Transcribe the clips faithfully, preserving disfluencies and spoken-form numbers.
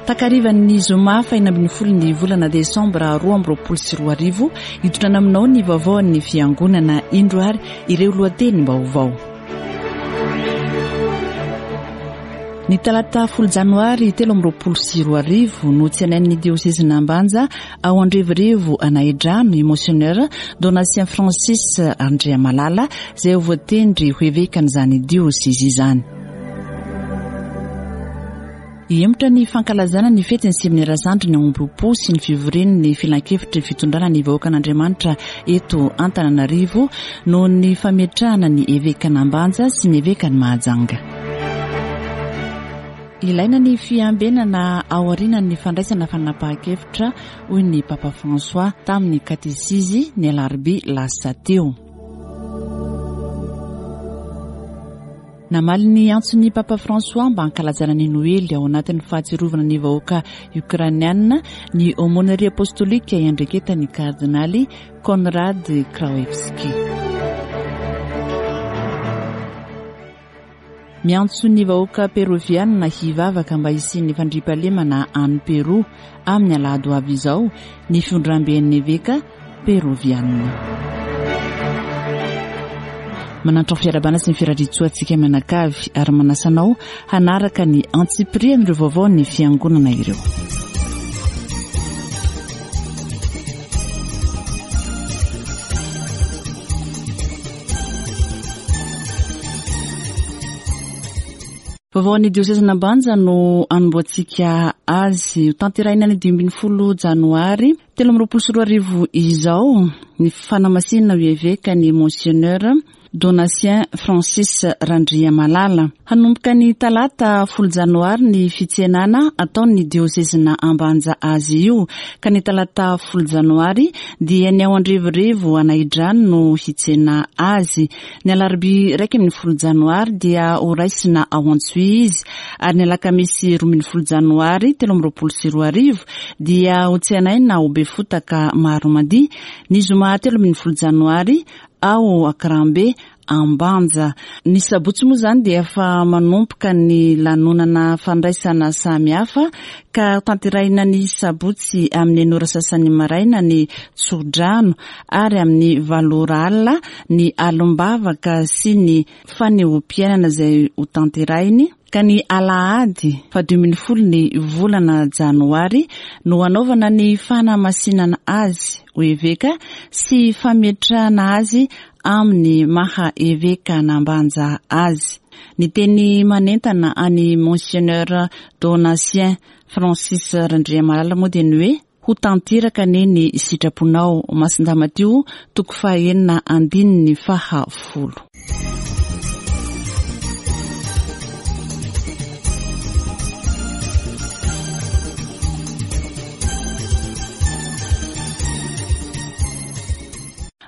Takarivan'ny zoma fahenina ambin'ny folo ny volana desambra roa amby roapolo sy roa arivo, hitondrana aminao ny vaovaon'ny fiangonana. Indro ary ireo lohatenim-baovao. Ny talata folo janoary telo amby roapolo sy roa arivo no tsenain'ny diosezin'Ambanja ao Andrevorevo Anahidrano i Monseigneur Donatien Francis Andriamalala, izay ho voatendry ho evekan'izany diosezy izany. Hihemotra ny fankalazana ny fetin'ny seminera zandriny ao Ambohipo sy ny fivorian'ny filankevitry fitondrana ny vahoakan'Andriamanitra eto Antananarivo noho ny fametrahana ny evekan'Ambanja sy ny evekan'i Mahajanga. Ilaina ny fiambenana aorian'ny fandraisana fanapahan-kevitra, hoy ny Papa François tamin'ny katesizy ny alarobia lasa teo. Namaly ny antson'ny Papa François mba hankalazana ny Noely ao anatin'ny fahatsiarovana ny vahoaka ukrainiana ny aumônerie apostolika iandraiketan'ny kardinaly Konrad Krajewski. Miantso ny vahoaka peroviana hivavaka mba hisian'ny fandriampahalemana any Peroa amin'ny alahady ho avy izao ny fivondramben'ny eveka peroviana. Manantro fiarahabana sy ny firariantsoa antsika mianakavy ary manasa anao hanaraka ny antsipirian'ireo vaovao ny fiangonana ireo. Vaovao ny diosezin'Ambanja no anombohantsika azy. Ho tanterahina ny dimy ambin'ny folo janoary telo amby roapolo sy roa arivo izao ny fanamasinana ho eveka ny Monseigneur Donatien Francis Randriamalala. Hanomboka ny talata folo janoary ny fitsenana ataon'ny diosezina Ambanja azy io, ka ny talata folo janoary dia ny ao Andrevorevo Anahidrano no hitsena azy. Ny alarobia iraika ambin'ny folo janoary dia ho raisina ao Antsohihy izy, ary ny alakamisy roa ambin'ny folo janoary telo amby roapolo sy roa arivo dia ho tsenaina ao Befotaka Maromandia. Ny zoma telo ambin'ny folo janoary ao Ankirambe Ambanja. Ny sabotsy moa izany dia efa manomboka ny lanonana fandraisana samihafa, ka tanterahina ny sabotsy amin'ny enina ora sasany maraina ny tsodrano, ary amin'ny valo ora alina ny alom-bavaka sy ny fanehoam-piainana izay ho tanterahiny. Ka ny alahady fahadimy ambin'ny folo ny volana janoary no hanaovana ny fanamasinana azy ho eveka sy fametrahana azy amin'ny maha eveka n'Ambanja azy. Ny teny manentana any Monseigneur Donatien Francis Randriamalala moa dia ny hoe ho tanteraka anie ny sitraponao. Masindahy Matio toko fahaenina andininy faha folo.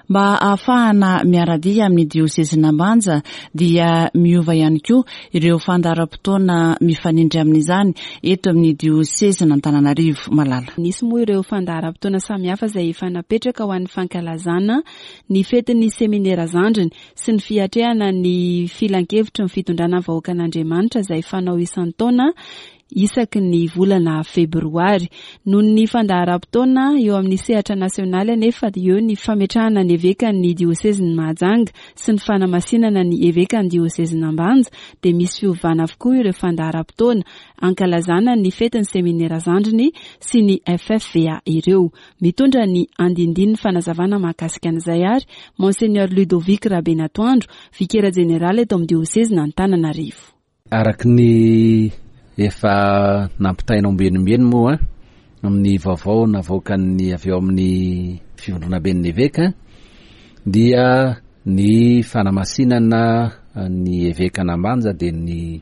Mba ahafahana miara-dia amin'ny diosezin'Ambanja dia miova ihany koa ireo fandaharam-potoana mifanindry amin'izany eto amin'ny diosezin'Antananarivo. Malala. Nisy moa ireo fandaharam-potoana samihafa izay efa napetraka ho an'ny fankalazana ny fetin'ny seminera zandriny sy ny fiatrehana ny filankevitry ny fitondrana vahoakan'Andriamanitra izay fanao isan-taona isaky ny volana febroary. Noho ny fandaharam-potoana eo amin'ny sehatra nasionaly anefa eo ny fametrahana ny evekan'ny diosezin'i Mahajanga sy ny fanamasinana ny evekan'ny diosezin'Ambanja dia misy fiovana avokoa ireo fandaharam-potoana ankalazana ny fetin'ny seminera zandriny sy ny F F V A ireo. Mitondra ny andindinin'ny fanazavana mahakasika an'izay ary Monseigneur Ludovic Rabenatoandro, vikera jeneraly eto amin'ny diosezin'Antananarivo. Araka ny efa nampitaina ombieniombieny moa amin'ny vaovao navoakan'ny avy eo amin'ny fivondronamben'ny eveka dia ny fanamasinana ny evekan'Ambanja dia ny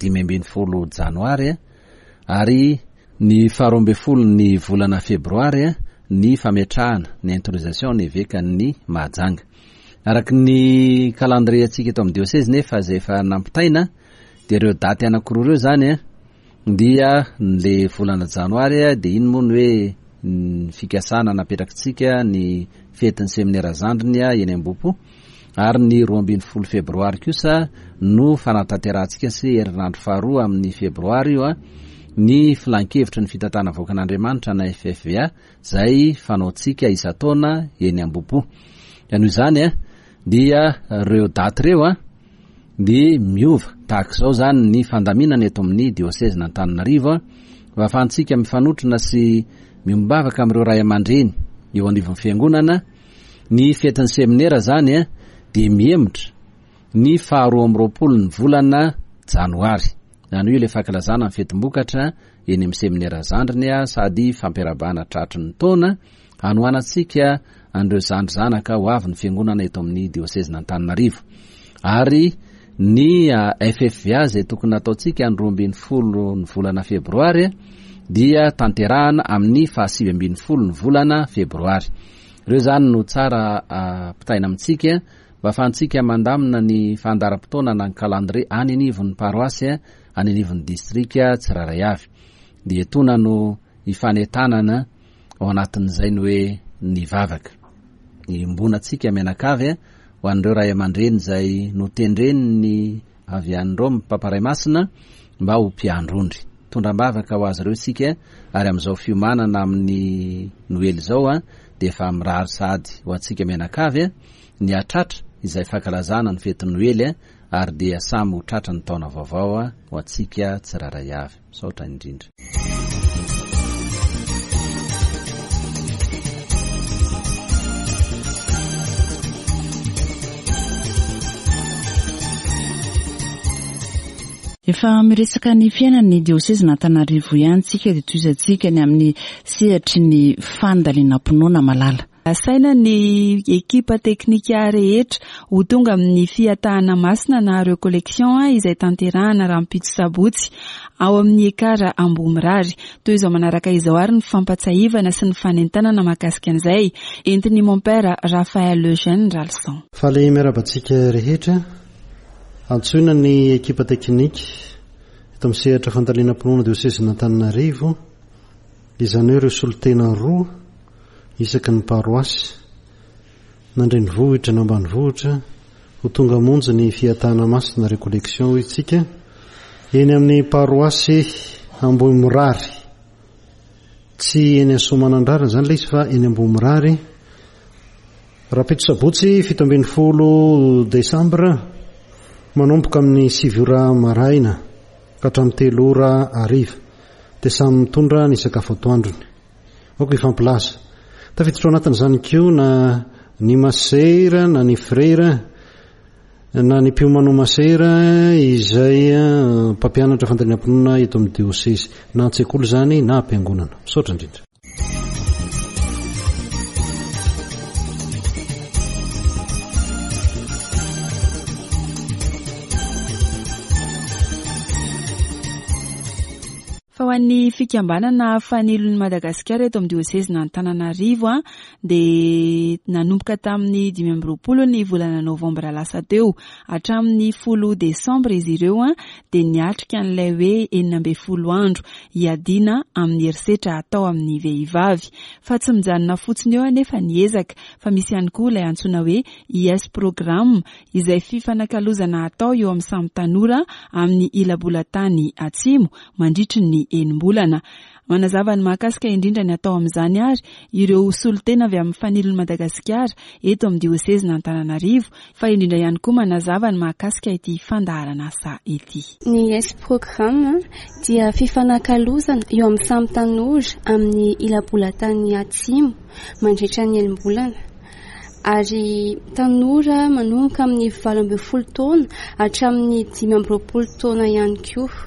dimy ambin'ny folo janoary ary ny faharoa ambin'ny folo ny volana febroary ny fametrahana ny intronisation ny evekan'ny Mahajanga. Araka ny calendrier antsika eto amin'ny diosezy nefa izay efa nampitaina dia ireo daty anankiroa ireo zany a, dia le volana janoary a, dia iny moa ny hoe ny fikasana napetrakitsika ny fetin'ny seminera zandriny a eny Ambohipo, ary ny roa ambin'ny folo febroary kosa no fanatanterahantsika sy herinandro faharoa amin'ny febroary io a, ny filankevitry ny fitantanana vahoakan'Andriamanitra na F F V A izay fanaontsika isan-taona eny Ambohipo. Ka noho izany a, dia ireo daty ireo a, dia miova tahaka izao izany ny fandaminana eto amin'ny diosezin'Antananarivo a, mba ahafahantsika mifanotrona sy miombom-bavaka amin'ireo ray aman-dreny eo anivon'ny fiangonana. Ny fetin'ny seminera izany a, dia mihemotra ny faharoa amby roapolo ny volana janoary. Izany hoe ilay fankalazana ny fetim-bokatra eny amin'ny seminera zandriny a, sady fampiarabana tratry ny taona hanohanantsika an'ireo zandry zanaka ho avy ny fiangonana eto amin'ny diosezin'Antananarivo. Ary ny F F V A izay tokony nataontsika ny roa ambin'ny folo ny volana febroary dia tanterahana amin'ny fahasivy ambin'ny folo ny volana febroary. Ireo izany no tsara ampitaina amintsika mba ahafahantsika mandamina ny fandaharam-potoana na ny calendrier any anivon'ny paroasy, any anivon'ny distrika tsirairay avy. Dia etoana no ifanentanana ao anatin'izay ny hoe ny vavaka. Iombonantsika mianakavy ho an'ireo ray aman-dreny izay notendren'ny avy any Roma, Papa Ray Masina, mba ho mpiandry ondry. Tondram-bavaka ho azy ireo isika, ary amin'izao fiomanana amin'ny Noely izao a, dia efa mirary sady ho antsika mianakavy ny hatratra izay fankalazana ny fetin'ny Noely a, ary dia samy ho tratra ny taona vaovao a, ho antsika tsirairay avy. Misaotra indrindra. Efa miresaka ny fiainan'ny diosezin'Antananarivo ihany tsika dia tohizantsika ny amin'ny sehatry ny fandalinam-pinoana malala. Asaina ny ekipa teknika rehetra ho tonga amin'ny fiatahana masina na recollection izay tanterahana rahampitso sabotsy ao amin'ny Ekara Ambohimirary. Toy izao manaraka izao ary ny fampatsiahivana sy ny fanentanana mahakasika an'izay entin'ny mon père Raphaël Eugène Ralson. Faly miarahaba antsika rehetra. Antsoina ny ekipa teknika eto amin'ny sehatra fandalinam-pinoana diosezin'Antananarivo, izany hoe ireo solontena roa isaky ny paroasy na an-drenivohitra na ambanivohitra ho tonga hamonjy ny fiatahana masina recollection hoy isika eny amin'ny paroasy Ambohimirary. Tsy eny Soamanandrariny izany ilay izy fa eny Ambohimirary. Rahampitso sabotsy fito ambin'ny folo desambra manomboka amin'ny sivy ora maraina ka hatramin'ny telo ora hariva dia samy mitondra ny sakafo atoandrony. Aoka hifampilaza. Tafiditra ao anatin'izany koa na ny masera na ny frera na ny mpiomano masera izay mpampianatra fandalinam-pinoana eto amin'ny diosezy, na an-tsekoly izany na am-piangonana. Misaotra indrindra. Fa ho an'ny fikambanana Fanilon'i Madagasikara eto amin'ny diosezin'Antananarivo a, dia nanomboka tamin'ny dimy amby roapolo ny volana novambra lasa teo hatramin'ny folo desambra izy ireo a, dia niatrika an'ilay hoe enina ambin'ny folo andro hiadiana amin'ny herisetra atao amin'ny vehivavy. Fa tsy mijanona fotsiny eo anefa ny ezaka, fa misy ihany koa ilay antsoina hoe I S Programme izay fifanakalozana atao eo amin'ny samy tanora amin'ny ila-bolan-tany atsimo mandritry ny enim-bolana. Manazava ny mahakasika indrindra ny atao amin'izany ary ireo solontena avy amin'ny Fanilon'i Madagasikara eto amin'ny diosezin'Antananarivo, fa indrindra ihany koa manazava ny mahakasika ity fandaharan'asa ity. Ny I S Programme dia fifanakalozana eo amin'ny samy tanora amin'ny ila-bolan-tany atsimo mandritra ny enim-bolana. Ary tanora manomboka amin'ny valo ambin'ny folo taona hatramin'ny dimy amby roapolo taona ihany koa.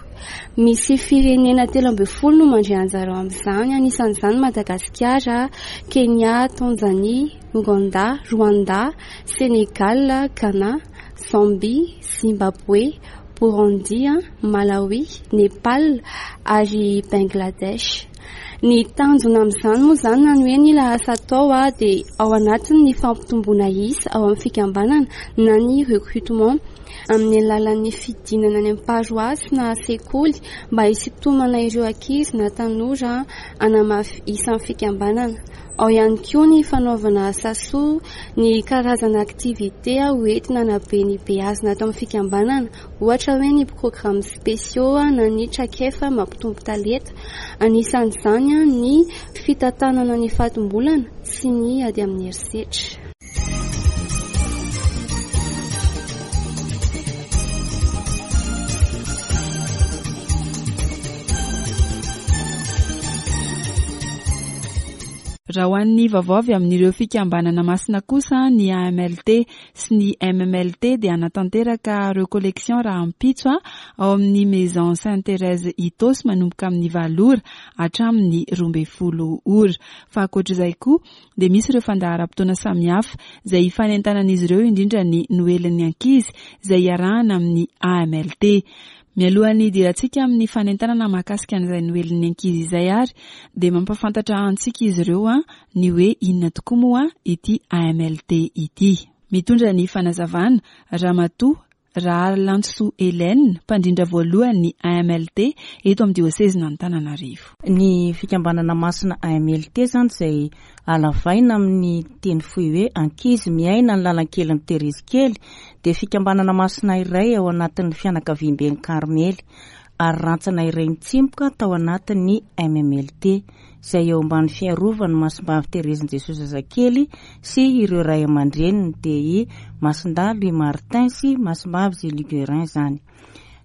Misy firenena telo ambin'ny folo no mandray anjara ao amin'izany, anisan'izany Madagasikara, Kenya, Tanzania, Ouganda, Rwanda, Sénégal, Ghana, Zambie, Zimbabwe, Burundi, Malawi, Nepal ary Bangladesh. Ny tanjona amin'izany moa izany na ny hoe ny lahasa atao a, dia ao anatin'ny fampitomboana isa ao amin'ny fikambanana na ny recrutement. Amin'ny alalan'ny fidinana any amin'ny paroasy na sekoly mba hisintomana ireo ankizy na tanora hanamafy isa amin'ny fikambanana. Ao ihany koa ny fanaovana asa soa, ny karazana activité hoentina hanabe ny beazina ato amin'ny fikambanana, ohatra hoe ny programmes spéciaux na ny traikefa mampitombo talenta. Anisan'izany ny fitantanana ny fatim-bolana sy ny ady amin'ny herisetra. Raha ho an'ny vaovao avy amin'ireo fikambanana masina kosa, ny A M L T sy ny M M L T dia hanatanteraka recollection rahampitso ao amin'ny Maison Sainte Thérèse Itaosy manomboka amin'ny valo ora hatramin'ny roa ambin'ny folo ora. Fa ankoatr'izay koa dia misy ireo fandaharam-potoana samihafa izay hifanentanan'izy ireo, indrindra ny noelin'ny ankizy izay iarahana amin'ny A M L T. Mialohan'ny hidirantsika amin'ny fanentanana mahakasika an'izay noelin'ny ankizy izay ary dia mampahafantatra antsika izy ireo a ny hoe inona tokoa moa ity A M L T ity. Mitondra ny fanazavana Ramatoa Rahalansoa Hélène, mpandrindra voalohany ny A M L T eto amin'ny diosezin'Antananarivo. Ny fikambanana masina A M L T zany izay alavaina amin'ny teny fohy hoe ankizy miaina ny lalan-kelin'ny Terezy kely dia fikambanana masina iray ao anatin'ny fianakaviamben'ny Karmely ary rantsana iray nitsimoka tao anatin'ny M M L T izay eo ambany fiarovany Masimbavy Terezin'i Jesosy zazakely sy ireo ray aman-dreniny dia i Masindahy Louis Martin sy Masimbavy Zélie Guérin zany.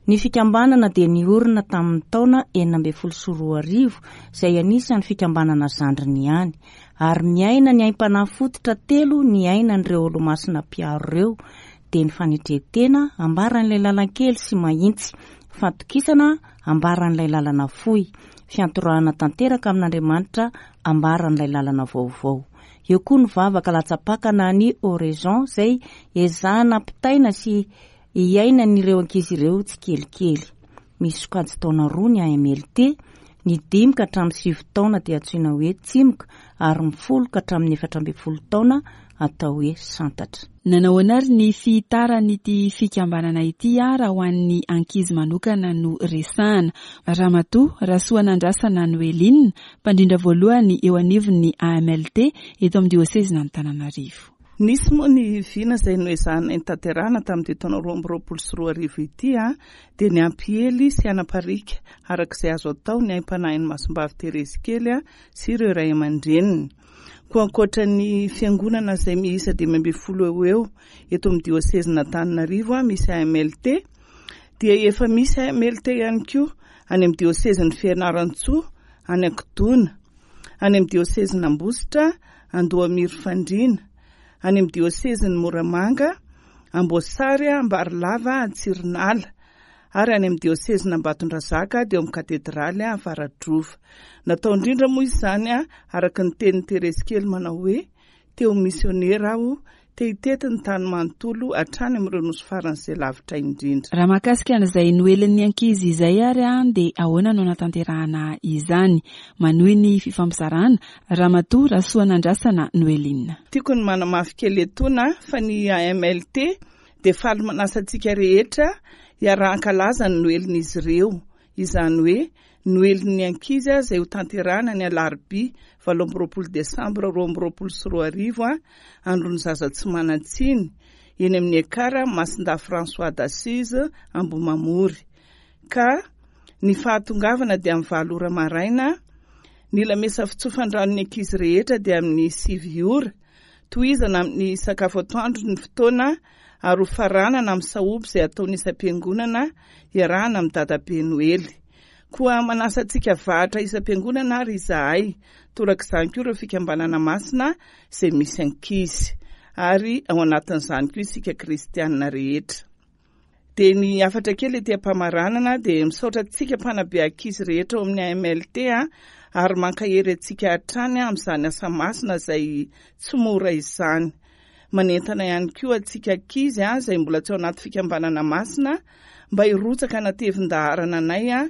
Ny fikambanana dia niorina tamin'ny taona enina ambin'ny folo sy roa arivo izay anisan'ny fikambanana zandriny ihany ary miaina ny aim-panahy fototra telo ny ainan'ireo olomasina mpiaro ireo dia ny fanetren-tena ambaran'ilay lalan-kely sy mahitsy, fatokisana ambaran'ilay lalana fohy, fiantorahana tanteraka amin'Andriamanitra ambaran'ilay lalana vaovao. Eo koa ny vavaka latsa-pakana ny oraison izay ezahana ampitaina sy iainan'ireo ankizy ireo tsikelikely. Misy sokajy taona roa ny A M L T: ny dimy ka hatramin'ny sivy taona dia antsoina hoe tsimoka ary ny folo ka hatramin'ny efatra ambin'ny folo taona atao hoe santatra. Nanao ary ny fitaran'ity fikambanana ity a raha ho an'ny ankizy manokana no resahana. Ramatoa Rasoanandrasana Noeline, mpandrindra voalohany eo anivon'ny A M L T eto amin'ny diosezin'Antananarivo. Nisy moa ny vina izay noezahana notanterahana tamin'ity taona roa amby roapolo sy roa arivo ity a dia ny hampiely sy hanaparika araka izay azo atao ny aim-panahin'ny Masimbavy Terezy kely a sy ireo ray aman-dreniny. Koa ankoatra ny fiangonana izay miisa dimy ambin'ny folo eo eo eto amin'ny diosezin'Antananarivo a misy A M L T, dia efa misy A M L T ihany koa any amin'ny diosezin'ny Fianarantsoa any Ankodona, any amin'ny diosezin'Ambositra Andohamiry Fandriana, any amin'ny diosezin'ny Moramanga Amboasary Ambarilava Antsirinala, ary any amin'ny diosezin'Ambatondrazaka dia eo amin'ny katedraly Avaradrova. Natao indrindra moa izany a araka ny tenin'ny Terezy kely manao hoe te ho misionera aho, te hitety ny tany manontolo hatrany amin'ireo nosy faran'izay lavitra indrindra. Raha mahakasika an'izay noelin'ny ankizy izay ary a dia ahoana no anatanterahana izany? Manohy ny fifampizarana Ramatoa Rasoanandrasana Noeline. Tiako ny manamafy kely etoana fa ny A M L T dia faly manasa antsika rehetra hiara-hankalaza ny noelin'izy ireo, izany hoe noelin'ny ankizy a izay ho tanterahana ny alarobia valo amby roapolo desambra roa amby roapolo sy roa arivo a andron'ny zaza tsy manan-tsiny, eny amin'ny Ekara Masindahy François d'Assise Ambohimamory, ka ny fahatongavana dia amin'ny valo ora maraina, ny lamesa fitsofan-dranon'ny ankizy rehetra dia amin'ny sivy ora, tohizana amin'ny sakafo atoandro ny fotoana ary ho faranana amin'ny sahoby izay ataony isam-piangonana iarahana amin'ny dadabe Noely. Koa manasa antsika vahatra isam-piangonana ary izahay, torak'izany koa ireo fikambanana masina izay misy ankizy, ary ao anatin'izany koa isika kristianina rehetra. Dia ny hafatra kely ety am-pamaranana dia misaotra antsika mpanabe ankizy rehetra ao amin'ny A M L T a ary mankahery antsika hatrany amin'izany asa masina izay tsy mora izany. Manentana ihany koa antsika ankizy a izay mbola tsy ao anaty fikambanana masina mba hirotsaka anatevin-daharana anay a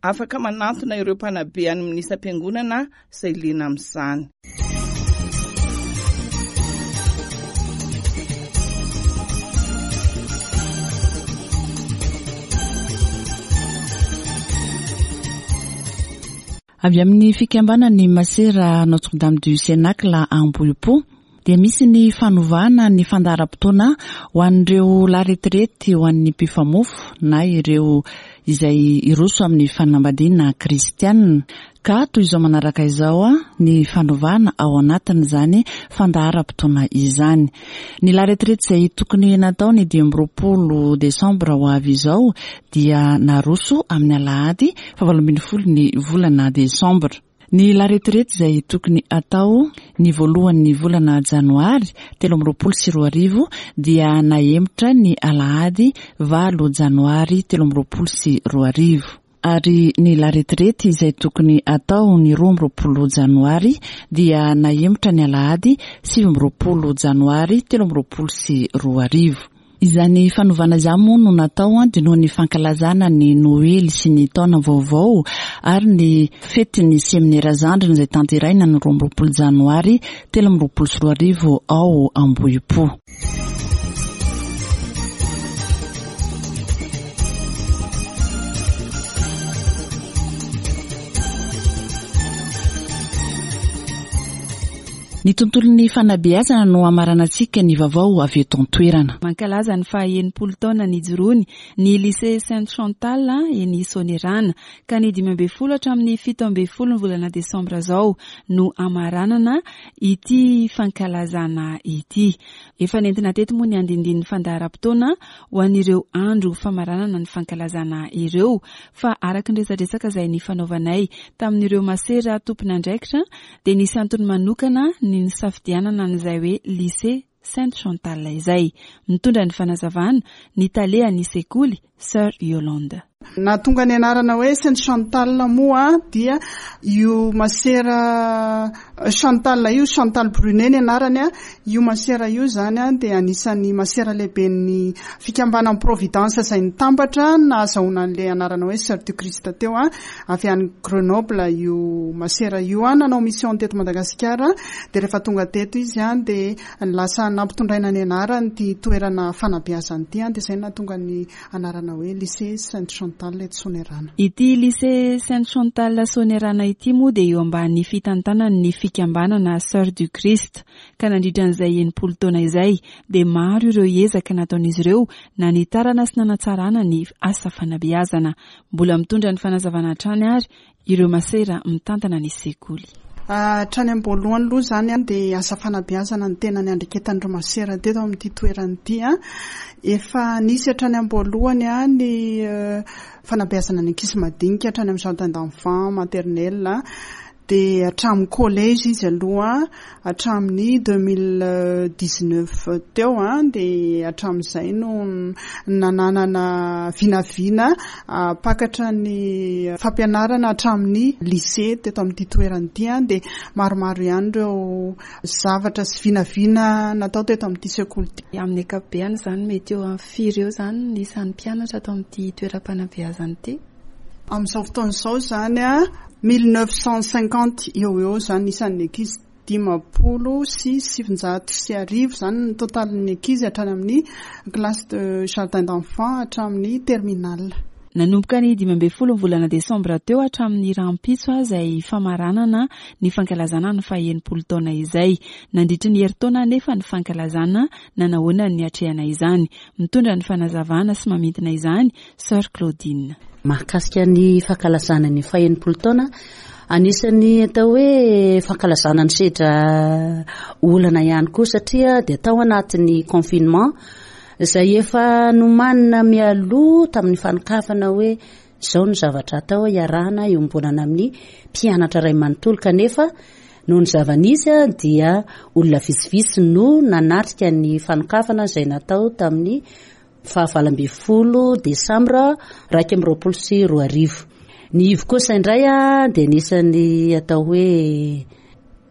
afaka manantona ireo mpanabe any amin'ny isam-piangonana izay liana amin'izany. Avy amin'ny fikambanan'ny Masera Notre Dame du Cénacle Ambohipo dia misy ny fanovana ny fandaharam-potoana ho an'ireo la retraite, ho an'ny mpifamofo na ireo izay hiroso amin'ny fanambadiana kristianina. Ka toy izao manaraka izao ny fanovana ao anatin'izany fandaharam-potoana izany. Ny la retraite izay tokony natao ny dimy amby roapolo desambra ho avy izao dia naroso amin'ny alahady fahavalo ambin'ny folo ny volana desambra. Ny la retraite izay tokony atao ny voalohan'ny volana janoary telo amby roapolo sy roa arivo dia nahemotra ny alahady valo janoary telo amby roapolo sy roa arivo. Ary ny la retraite izay tokony atao ny roa amby roapolo janoary dia nahemotra ny alahady sivy amby roapolo janoary telo amby roapolo sy roa arivo. Izany fanovana izany moa no natao dia noho ny fankalazana ny Noely sy ny taona vaovao ary ny fetin'ny seminera zandriny izay tanterahina ny roa amby roapolo janoary telo amby roapolo sy roa arivo ao Ambohipo. Ny tontolon'ny fanabeazana no hamaranantsika ny vaovao avy eto an-toerana. Mankalaza ny faha enimpolo taona nijoroany ny lycée Sainte Chantal eny Soanierana ka ny dimy ambin'ny folo hatramin'ny fito ambin'ny folo ny volana desambra izao no hamaranana ity fankalazana ity. Efa nentina teto moa ny andindinin'ny fandaharam-potoana ho an'ireo andro famaranana ny fankalazana ireo, fa araka ny resadresaka izay nifanaovanay tamin'ireo masera tompon'andraikitra dia nisy antony manokana ny nisafidianana an'izay hoe lycée Sainte Chantal izay. Mitondra ny fanazavana ny talehan'ny sekoly Sœur Yolande. Nahatonga ny anarana hoe Sainte Chantal moa dia io masera Chantal io, Chantal Brunet ny anarany, io masera io zany dia anisan'ny masera lehiben'ny fikambanan'ny Providence izay nitambatra nahazahoana an'ilay anarana hoe Sœur du Christ teo, avy any Grenoble io masera io, nanao mission teto Madagasikara, dia rehefa tonga teto izy dia lasa nampitondraina ny anarany ity toerana fanabeazana ity, dia izay nahatonga ny anarana hoe lycée Sainte Chantal eto Soanierana. Ity lycée Sainte Chantal Soanierana ity moa dia eo ambany fitantanan'ny fikambanana Sœur du Christ, ka nandritra an'izay enimpolo taona izay dia maro ireo ezaka nataon'izy ireo nanitarana sy nanatsarana ny asa fanabeazana. Mbola mitondra ny fanazavana hatrany ary ireo masera mitantana ny sekoly. Hatrany am-boalohany aloha izany dia asa fanabeazana ny tena niandraiketan'ireo masera teto amin'ity toerana ity. Efa nisy hatrany am-boalohany ny fanabeazana ny ankizy madinika hatrany amin'ny jardin d'enfants, maternelle, dia hatramin'ny collège izy aloha hatramin'ny deux mille dix-neuf teo, dia hatramin'izay no nananana vinavina mpakatra ny fampianarana hatramin'ny lycée teto amin'ity toerana ity, dia maromaro ihany ireo zavatra sy vinavina natao teto amin'ity sekoly ity. Amin'ny ankapobeny izany mety eo amin'ny firy eo izany ny isan'ny mpianatra ato amin'ity toeram-panabeazana ity? Amin'izao fotoana izao izany mille neuf cent cinquante eo eo izany isan'ny ankizy, dimampolo sy sivinjato sy arivo izany ny totalin'ny ankizy hatrany amin'ny classe de jardin d'enfants hatramin'ny terminale. Nanomboka ny dimy ambin'ny folo ny volana desambra teo hatramin'ny rahampitso izay famaranana ny fankalazana ny faha enimpolo taona izay. Nandritra ny herintaona anefa ny fankalazana nanahoana ny atrehana izany. Mitondra ny fanazavana sy mamintina izany Sœur Claudine. Mahakasika ny fankalazana ny faha enimpolo taona, anisan'ny atao hoe fankalazana ny sedra olana ihany koa satria dia tao anatin'ny confinement izay efa nomanina mialoha tamin'ny fanokafana hoe izao no zavatra atao iarahana iombonana amin'ny mpianatra iray manontolo, kanefa noho ny zava-nisy dia olona vitsivitsy no nanatrika ny fanokafana izay natao tamin'ny fahavalo ambin'ny folo desambra iraika amby roapolo sy roa arivo. Ny ivo kosa indray dia anisan'ny atao hoe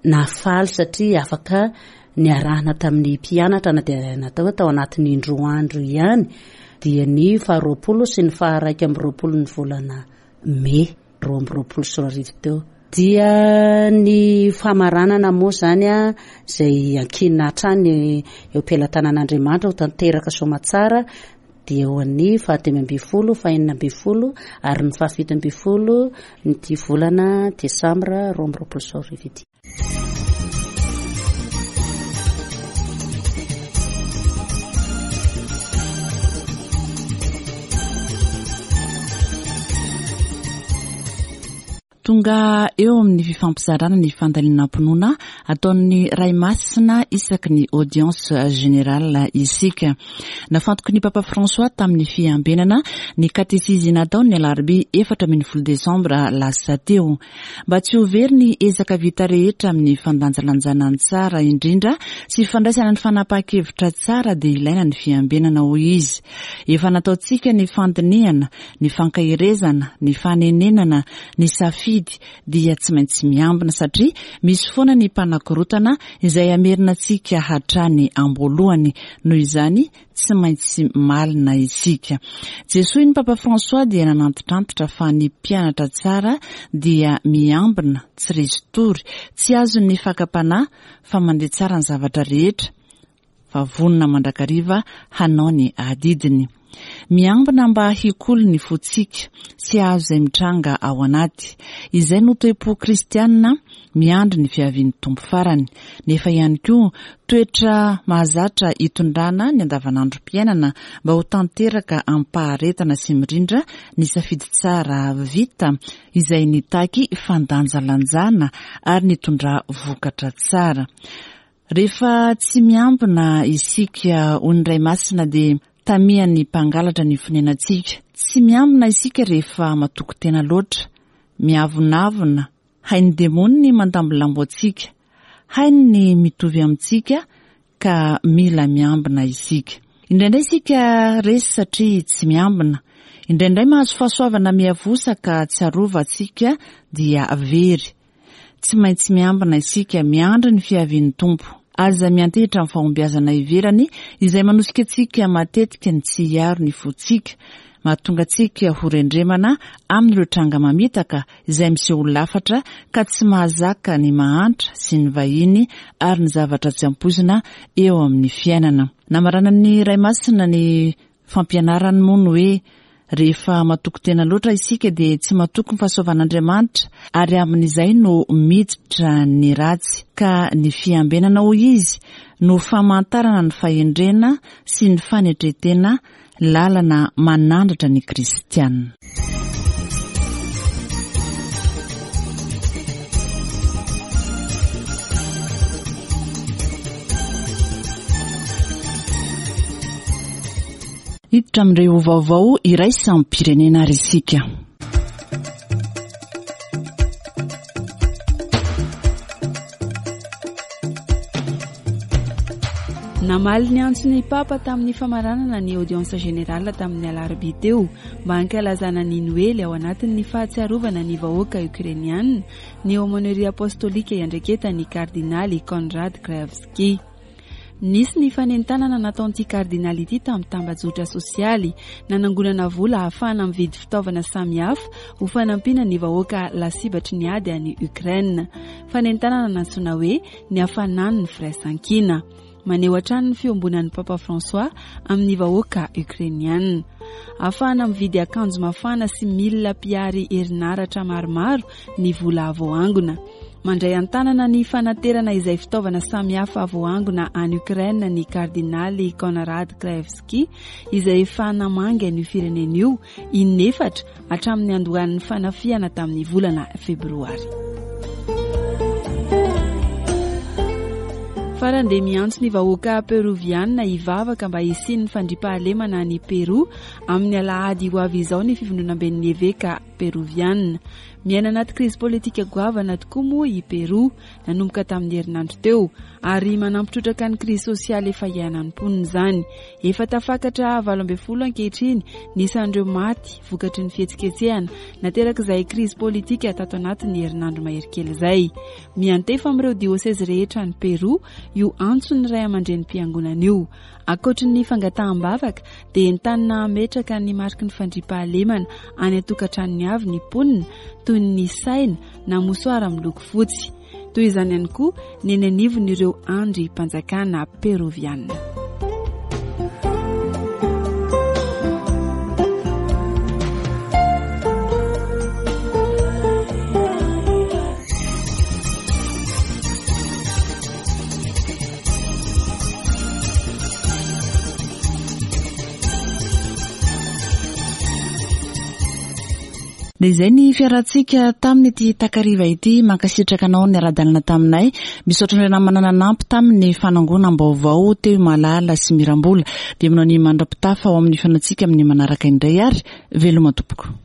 nahafaly satria afaka niarahana tamin'ny mpianatra na dia natao hoe tao anatin'ny indroa andro ihany, dia ny faharoapolo sy ny faharaika amby roapolo ny volana mey roa amby roapolo sy roa arivo teo. Dia ny famaranana moa izany izay ankinina hatrany eo am-pelatanan'Andriamanitra ho tanteraka soamatsara Dia ho an'ny fahadimy ambin'ny folo, fahenina ambin'ny folo ary ny fahafito ambin'ny folo ity volana desambra roa amby roapolo sy roa arivo ity. Tonga eo amin'ny fifampizarana ny fandalinam-pinoana ataon'ny Ray Masina isaky ny audience générale isika. Nafantoky ny Papa François tamin'ny fiambenana ny katesizy nataony ny alarobia efatra ambin'ny folo desambra lasa teo. Mba tsy ho very ny ezaka vita rehetra amin'ny fandanjalanjana ny tsara indrindra sy fandraisana ny fanapahan-kevitra tsara dia ilaina ny fiambenana, hoy izy. Efa nataontsika ny fandinihana, ny fankaherezana, ny fanenenana, ny safidy dia tsy maintsy miambina satria misy foana ny mpanakorotana izay hamerina antsika hatrany am-boalohany. Noho izany tsy maintsy malina isika. Jesoa ny Papa François dia nanantitrantitra fa ny mpianatra tsara dia miambina, tsy resy tory, tsy azon'ny fakam-panahy fa mandeha tsara ny zavatra rehetra, fa vonona mandrakariva hanao ny adidiny. Miambina mba hikolo ny fontsika sy hahazo izay mitranga ao anaty. Izay no toe-po kristianina miandry ny fiavian'ny Tompo farany. Nefa ihany koa toetra mahazatra hitondrana ny andavanandrom-piainana mba ho tanteraka amim-paharetana sy mirindra ny safidy tsara vita izay nitaky fandanjalanjana ary nitondra vokatra tsara. Rehefa tsy miambina isika ho ny Ray Masina dia tamian'ny mpangalatra ny fonenantsika. Tsy miambina isika rehefa matoky tena loatra, miavonavona, hain'ny demony ny mandambolambo antsika, hainy ny mitovy amintsika ka mila miambina isika. Indraindray isika resy satria tsy miambina. Indraindray mahazo fahasoavana miavosa ka tsy arovantsika dia very. Tsy maintsy miambina isika, miandry ny fiavian'ny Tompo. Aza miantehitra amin'ny fahombiazana ivelany izay manosika antsika matetika ny tsy hiaro ny fontsika. Mahatonga antsika ho rendremana amin'ireo tranga mamitaka izay miseho lafatra ka tsy mahazaka ny mahantra sy ny vahiny ary ny zavatra tsy ampoizina eo amin'ny fiainana. Namaranan'ny Ray Masina ny fampianarany moa ny hoe rehefa matoky tena loatra isika dia tsy matoky ny fahasoavan'Andriamanitra ary amin'izay no miditra ny ratsy, ka ny fiambenana, hoy izy, no famantarana ny fahendrena sy ny fanetren-tena, lalana manandratra ny kristianina. Hiditra amin'ireo vaovao iraisam-pirenena ary isika. Namaly ny antson'ny Papa tamin'ny famaranana ny audience générale tamin'ny alarobia teo mba hankalazana ny Noely ao anatin'ny fahatsiarovana ny vahoaka ukrainiana ny aumônerie apostolika iandraiketan'ny kardinaly Konrad Krajewski. Nisy ny fanentanana nataon'ity kardinaly ity tamin'ny tambajotra sosialy nanangonana vola ahafahana mividy fitaovana samihafa ho fanampiana ny vahoaka lasibatry ny ady any Ukraine. Fanentanana nantsoina hoe ny hafanan'ny firaisankina. Maneho hatrany ny fiombonan'ny Papa François amin'ny vahoaka ukrainiana. Ahafahana mividy akanjo mafana sy milina mpiary herinaratra maromaro ny vola voaangona. Mandray an-tanana ny fanaterana izay fitaovana samihafa voaangona any Ukraine ny kardinaly Konrad Krajewski izay efa namangy an'io firenena io inefatra hatramin'ny andohan'ny fanafihana tamin'ny volana febroary. Farany dia miantso ny vahoaka peroviana hivavaka mba hisian'ny fandriampahalemana any Peru amin'ny alahady ho avy izao ny fivondronamben'ny eveka peroviana. Miaina anaty krizy politika goavana tokoa moa i Peru nanomboka tamin'ny herinandro teo ary manampy trotraka ny krizy sosialy efa iainan'ny mponina izany. Efa tafakatra valo ambin'ny folo ankehitriny ny isan'ireo maty vokatry ny fihetsiketsehana naterak'izay krizy politika tato anatin'ny herinandro mahery kely izay. Miantefa amin'ireo diosezy rehetra any Peru io antson'ny ray aman-drenim-piangonana io. Ankoatry ny fangataham-bavaka dia entanina hametraka ny mariky ny fandriampahalemana any an-tokantranony avy ny mponina toy ny saina na mosoara miloko fotsy. Toy izany ihany koa ny eny anivon'ireo andrim-panjakana peroviana. Dia izay ny fiarahantsika tamin'ity takariva ity. Mankasitraka anao niara-dalana taminay. Misaotra an'ireo namana nanampy tamin'ny fanangonam-baovao teo Malala sy Mirambola. Dia manao ny mandra-pitafa ao amin'ny fihaonantsika amin'ny manaraka indray ary veloma tompoko.